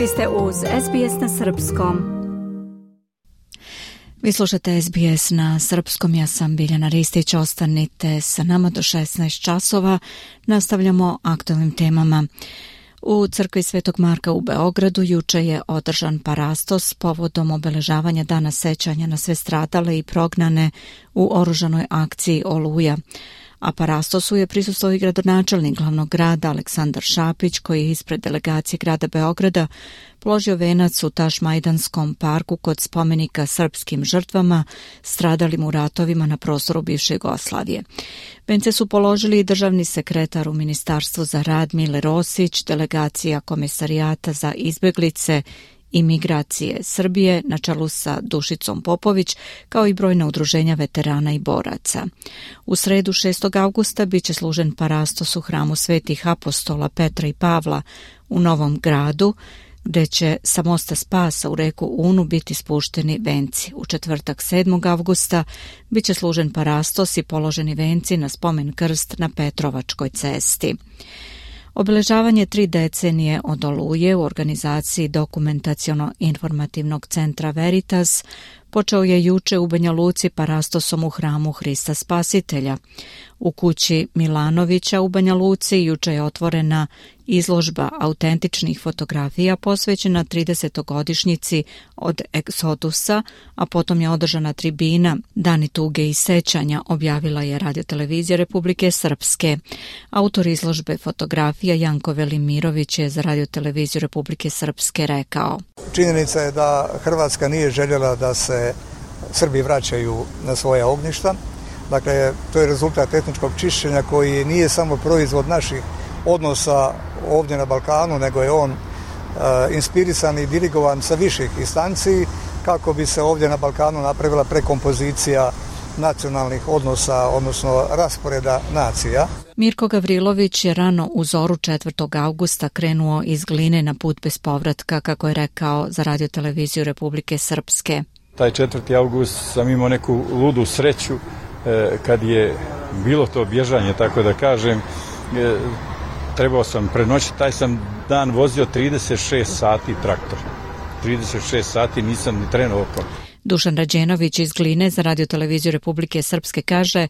Vi ste uz SBS na srpskom. Vi slušate SBS na srpskom, ja sam Biljana Ristić, ostanite sa nama do 16 časova. Nastavljamo aktualnim temama. U crkvi Svetog Marka u Beogradu juče je održan parastos povodom obeležavanja dana sećanja na sve stradale i prognane u oružanoj akciji Oluja. A parastosu je prisustvovao i gradonačelnik glavnog grada Aleksandar Šapić, koji je ispred delegacije grada Beograda položio venac u Tašmajdanskom parku kod spomenika srpskim žrtvama stradalim u ratovima na prostoru bivše Jugoslavije. Vence su položili i državni sekretar u Ministarstvu za rad Mile Rosić, delegacija Komesarijata za izbeglice i migracije Srbije na čelu sa Dušicom Popović, kao i brojna udruženja veterana i boraca. U sredu 6. avgusta biće služen parastos u hramu svetih apostola Petra i Pavla u Novom Gradu, gde će sa mosta Spasa u reku Unu biti spušteni venci. U četvrtak 7. avgusta biće služen parastos i položeni venci na spomen krst na Petrovačkoj cesti. Obeležavanje 3 decenije od Oluje u organizaciji Dokumentaciono-informativnog centra Veritas počeo je juče u Banja Luci parastosom u hramu Hrista Spasitelja. U kući Milanovića u Banja Luci juče je otvorena izložba autentičnih fotografija posvećena 30-godišnjici od Egzodusa, a potom je održana tribina Dani tuge i sećanja, objavila je Radiotelevizija Republike Srpske. Autor izložbe fotografija Janko Velimirović je za Radioteleviziju Republike Srpske rekao: Činjenica je da Hrvatska nije željela da se Srbi vraćaju na svoja ognjišta. Dakle, to je rezultat etničkog čišćenja koji nije samo proizvod naših odnosa ovdje na Balkanu, nego je on inspirisan i dirigovan sa viših instanci kako bi se ovdje na Balkanu napravila prekompozicija nacionalnih odnosa, odnosno rasporeda nacija. Mirko Gavrilović je rano u zoru 4. avgusta krenuo iz Gline na put bez povratka, kako je rekao za Radioteleviziju Republike Srpske. Taj 4. avgust sam imao neku ludu sreću kad je bilo to bježanje, tako da kažem. Trebao sam prenoćiti, taj sam dan vozio 36 sati traktor. 36 sati nisam ni trenuo oko. Dušan Rađenović iz Gline za Radioteleviziju Republike Srpske kaže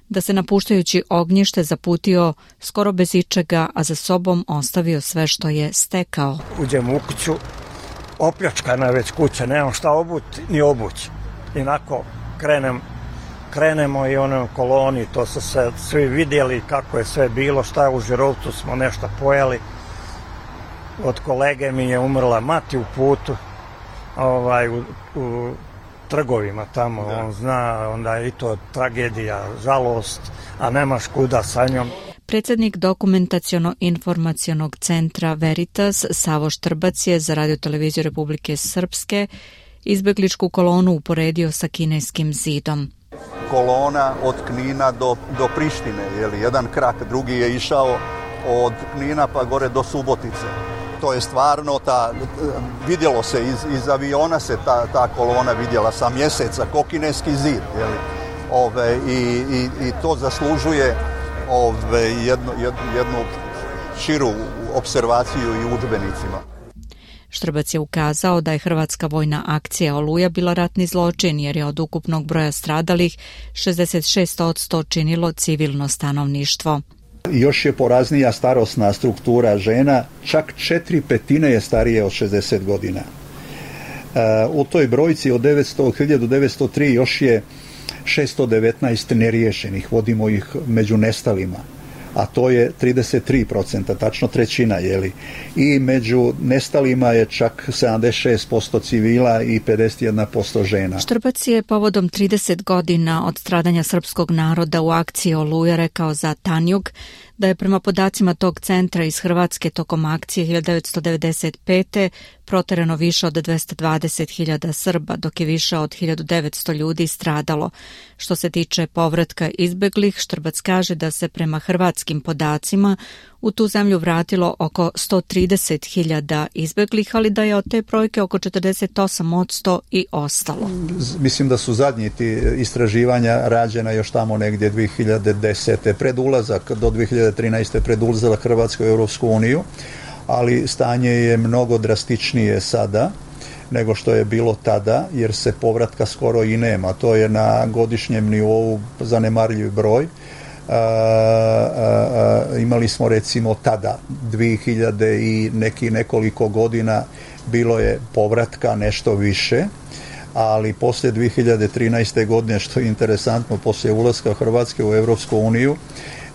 da se napuštajući ognjište zaputio skoro bez ičega, a za sobom ostavio sve što je stekao. Uđem u kuću, opljačkana je već kuća, nemam šta obuti ni obući. Inako krenemo i onom koloni, to su se svi vidjeli kako je sve bilo, šta je u Žirovcu, smo nešto pojeli. Od kolege mi je umrla mati u putu, u trgovima tamo, on zna, onda je i to tragedija, žalost, a nemaš kuda sa njom. Predsjednik Dokumentaciono-informacionog centra Veritas Savo Štrbac je za Radioteleviziju Republike Srpske izbegličku kolonu uporedio sa kineskim zidom. Kolona od Knina do Prištine, jedan krak, drugi je išao od Knina pa gore do Subotice. To je stvarno, vidjelo se, iz aviona se ta kolona vidjela sa mjeseca, ko kineski zid. I to zaslužuje jednu širu observaciju i u udžbenicima. Štrbac je ukazao da je hrvatska vojna akcija Oluja bila ratni zločin, jer je od ukupnog broja stradalih 66% činilo civilno stanovništvo. Još je poraznija starosna struktura žena, čak 4/5 je starije od 60 godina. U toj brojci od 1903 još je 619 neriješenih, vodimo ih među nestalima, a to je 33%, tačno trećina, I među nestalima je čak 76% civila i 51% žena. Štrbac je povodom 30 godina od stradanja srpskog naroda u akciji Oluja rekao za Tanjug da je prema podacima tog centra iz Hrvatske tokom akcije 1995. proterano više od 220.000 Srba, dok je više od 1900 ljudi stradalo. Što se tiče povratka izbeglih, Štrbac kaže da se prema hrvatskim podacima u tu zemlju vratilo oko 130.000 izbeglih, ali da je od te brojke oko 48% i ostalo. Mislim da su zadnji ti istraživanja rađena još tamo negdje 2010. pred ulazak do 2013. pred ulazak Hrvatske u Europsku uniju, ali stanje je mnogo drastičnije sada nego što je bilo tada, jer se povratka skoro i nema. To je na godišnjem nivou zanemarljiv broj. Imali smo recimo tada 2000 i nekoliko godina bilo je povratka nešto više, ali poslije 2013. godine, što je interesantno, poslije ulaska Hrvatske u Europsku uniju,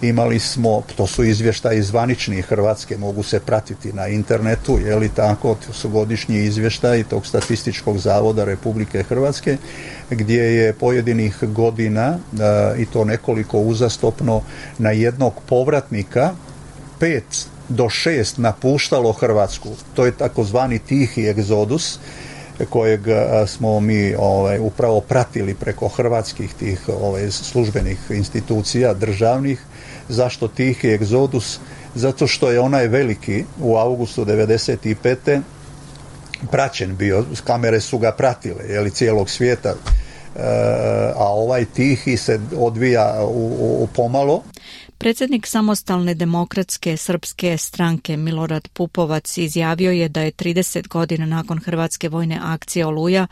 imali smo, to su izvještaji zvanični Hrvatske, mogu se pratiti na internetu, je li tako, to su godišnji izvještaji tog Statističkog zavoda Republike Hrvatske, gdje je pojedinih godina, i to nekoliko uzastopno, na jednog povratnika 5 do 6 napuštalo Hrvatsku. To je takozvani tihi egzodus, kojeg smo mi upravo pratili preko hrvatskih tih službenih institucija, državnih. Zašto tihi egzodus? Zato što je onaj veliki u augustu 95. praćen bio, kamere su ga pratile, je li, cijelog svijeta, a ovaj tihi se odvija u pomalo. Predsjednik Samostalne demokratske srpske stranke Milorad Pupovac izjavio je da je 30 godina nakon hrvatske vojne akcije Oluja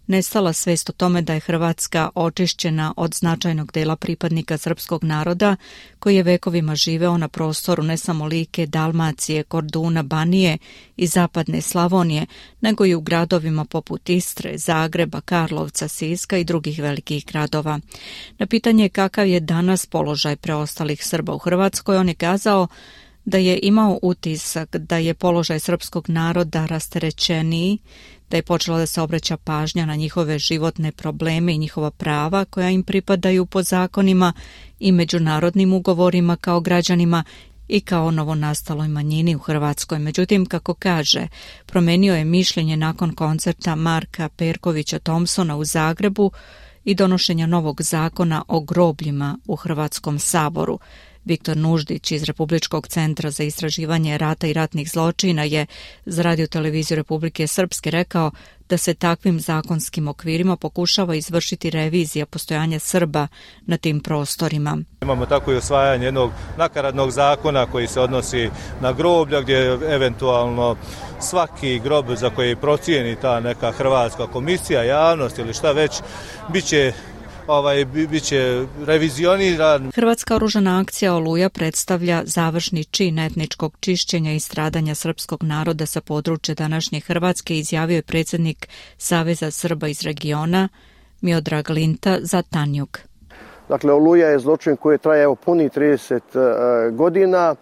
nestala svijest o tome da je Hrvatska očišćena od značajnog dela pripadnika srpskog naroda koji je vekovima živeo na prostoru ne samo Like, Dalmacije, Korduna, Banije i zapadne Slavonije, nego i u gradovima poput Istre, Zagreba, Karlovca, Siska i drugih velikih gradova. Na pitanje kakav je danas položaj preostalih Srba u Hrvatskoj, on je kazao da je imao utisak da je položaj srpskog naroda rasterećeniji, da je počela da se obraća pažnja na njihove životne probleme i njihova prava koja im pripadaju po zakonima i međunarodnim ugovorima kao građanima i kao novonastaloj manjini u Hrvatskoj. Međutim, kako kaže, promenio je mišljenje nakon koncerta Marka Perkovića Thompsona u Zagrebu i donošenja novog zakona o grobljima u Hrvatskom saboru. Viktor Nuždić iz Republičkog centra za istraživanje rata i ratnih zločina je za Radio-televiziju Republike Srpske rekao da se takvim zakonskim okvirima pokušava izvršiti revizija postojanja Srba na tim prostorima. Imamo tako i usvajanje jednog nakaradnog zakona koji se odnosi na groblja, gdje eventualno svaki grob za koji procijeni ta neka hrvatska komisija, javnost ili šta već, biće revizioniran. Hrvatska oružana akcija Oluja predstavlja završni čin etničkog čišćenja i stradanja srpskog naroda sa područja današnje Hrvatske, izjavio je predsjednik Saveza Srba iz regiona Miodrag Linta za Tanjug. Dakle, Oluja je zločin koji traje puni 30 godina.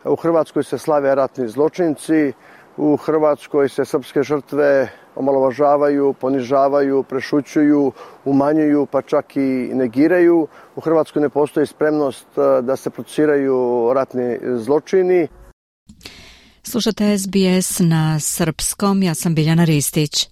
U Hrvatskoj se slave ratni zločinci, u Hrvatskoj se srpske žrtve omalovažavaju, ponižavaju, prešućuju, umanjuju, pa čak i negiraju. U Hrvatskoj ne postoji spremnost da se procesuiraju ratni zločini. Slušate SBS na srpskom, ja sam Biljana Ristić.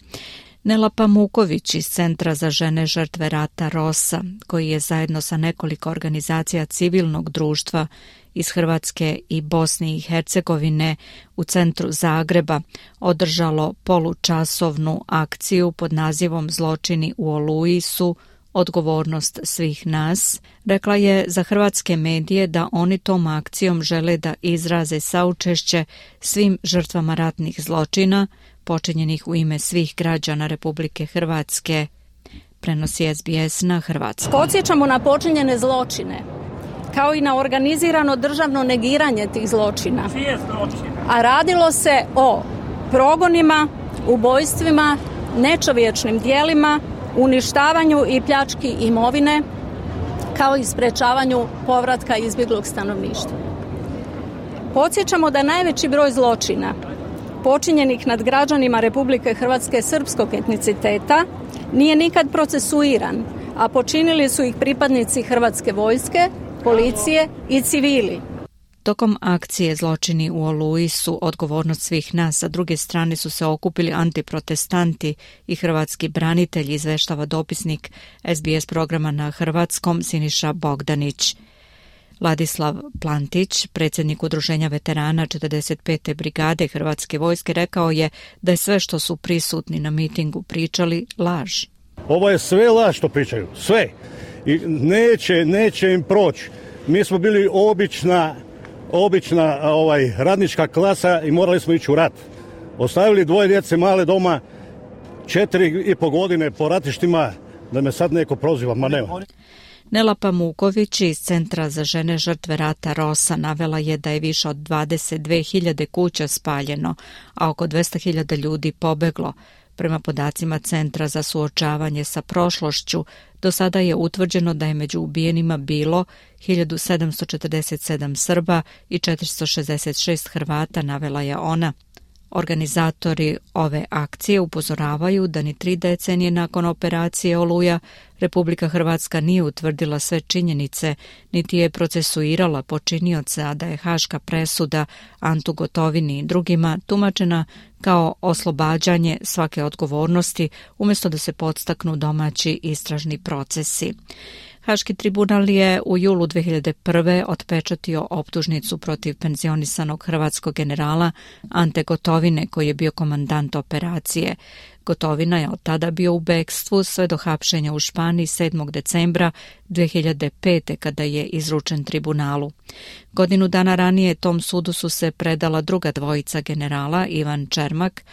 Nela Pamuković iz Centra za žene žrtve rata ROSA, koji je zajedno sa nekoliko organizacija civilnog društva iz Hrvatske i Bosne i Hercegovine u centru Zagreba održalo polučasovnu akciju pod nazivom Zločini u Oluji su odgovornost svih nas. Rekla je za hrvatske medije da oni tom akcijom žele da izraze saučešće svim žrtvama ratnih zločina počinjenih u ime svih građana Republike Hrvatske, prenosi SBS na hrvatskom. Podsjećamo na počinjene zločine, kao i na organizirano državno negiranje tih zločina. A radilo se o progonima, ubojstvima, nečovječnim djelima, uništavanju i pljački imovine, kao i sprečavanju povratka izbjeglog stanovništva. Podsjećamo da najveći broj zločina počinjenih nad građanima Republike Hrvatske srpskog etniciteta nije nikad procesuiran, a počinili su ih pripadnici Hrvatske vojske, policije i civili. Tokom akcije Zločini u Oluji su odgovornost svih nas, a druge strane su se okupili antiprotestanti i hrvatski branitelji, izveštava dopisnik SBS programa na hrvatskom Siniša Bogdanić. Ladislav Plantić, predsjednik Udruženja veterana 45. brigade Hrvatske vojske, rekao je da je sve što su prisutni na mitingu pričali laž. Ovo je sve laž što pričaju, sve. I neće im proći. Mi smo bili obična obična radnička klasa i morali smo ići u rat. Ostavili 2 djece male doma, 4,5 godine po ratištima, da me sad neko proziva, ma nema. Nela Pamuković iz Centra za žene žrtve rata Rosa navela je da je više od 22.000 kuća spaljeno, a oko 200.000 ljudi pobeglo. Prema podacima Centra za suočavanje sa prošlošću, do sada je utvrđeno da je među ubijenima bilo 1747 Srba i 466 Hrvata, navela je ona. Organizatori ove akcije upozoravaju da ni 3 decenije nakon operacije Oluja Republika Hrvatska nije utvrdila sve činjenice, niti je procesuirala počinioce, a da je haška presuda Antu Gotovini i drugima tumačena kao oslobađanje svake odgovornosti umjesto da se podstaknu domaći istražni procesi. Haški tribunal je u julu 2001. otpečatio optužnicu protiv penzionisanog hrvatskog generala Ante Gotovine, koji je bio komandant operacije. Gotovina je od tada bio u bekstvu sve do hapšenja u Španiji 7. decembra 2005. kada je izručen tribunalu. Godinu dana ranije tom sudu su se predala druga dvojica generala, Ivan Čermak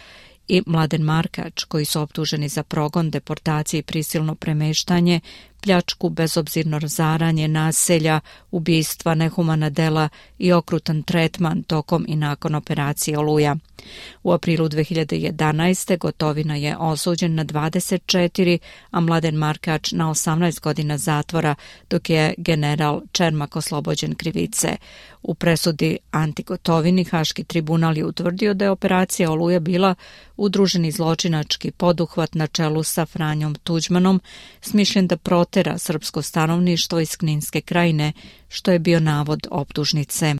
i Mladen Markač, koji su optuženi za progon, deportaciju i prisilno premeštanje, pljačku, bezobzirno razaranje naselja, ubistva, nehumana dela i okrutan tretman tokom i nakon operacije Oluja. U aprilu 2011. Gotovina je osuđen na 24, a Mladen Markač na 18 godina zatvora, dok je general Čermak oslobođen krivice. U presudi Anti Gotovini Haški tribunal je utvrdio da je operacija Oluja bila udruženi zločinački poduhvat na čelu sa Franjom Tuđmanom, smišljen da protera srpsko stanovništvo iz Kninske krajine, što je bio navod optužnice.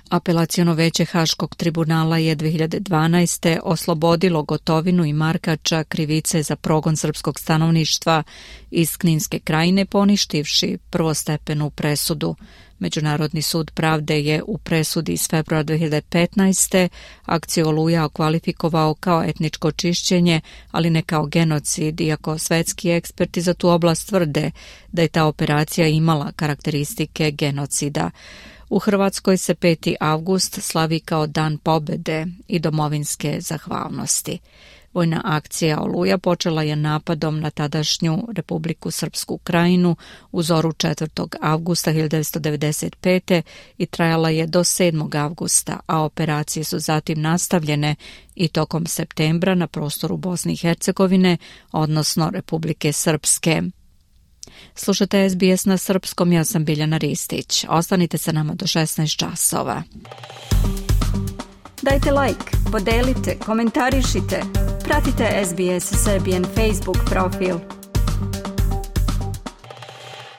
Apelaciono veće Haškog tribunala je 2012. oslobodilo Gotovinu i Markača krivice za progon srpskog stanovništva iz Kninske krajine, poništivši prvostepenu presudu. Međunarodni sud pravde je u presudi iz februara 2015. akciju Oluja okvalifikovao kao etničko čišćenje, ali ne kao genocid, iako svetski eksperti za tu oblast tvrde da je ta operacija imala karakteristike genocida. U Hrvatskoj se 5. avgust slavi kao Dan pobjede i domovinske zahvalnosti. Vojna akcija Oluja počela je napadom na tadašnju Republiku Srpsku krajinu u zoru 4. avgusta 1995. i trajala je do 7. avgusta, a operacije su zatim nastavljene i tokom septembra na prostoru Bosne i Hercegovine, odnosno Republike Srpske. Slušate SBS na srpskom, ja sam Biljana Ristić. Ostanite sa nama do 16 časova. Dajte like, podelite, komentarišite. Pratite SBS Serbian Facebook profil.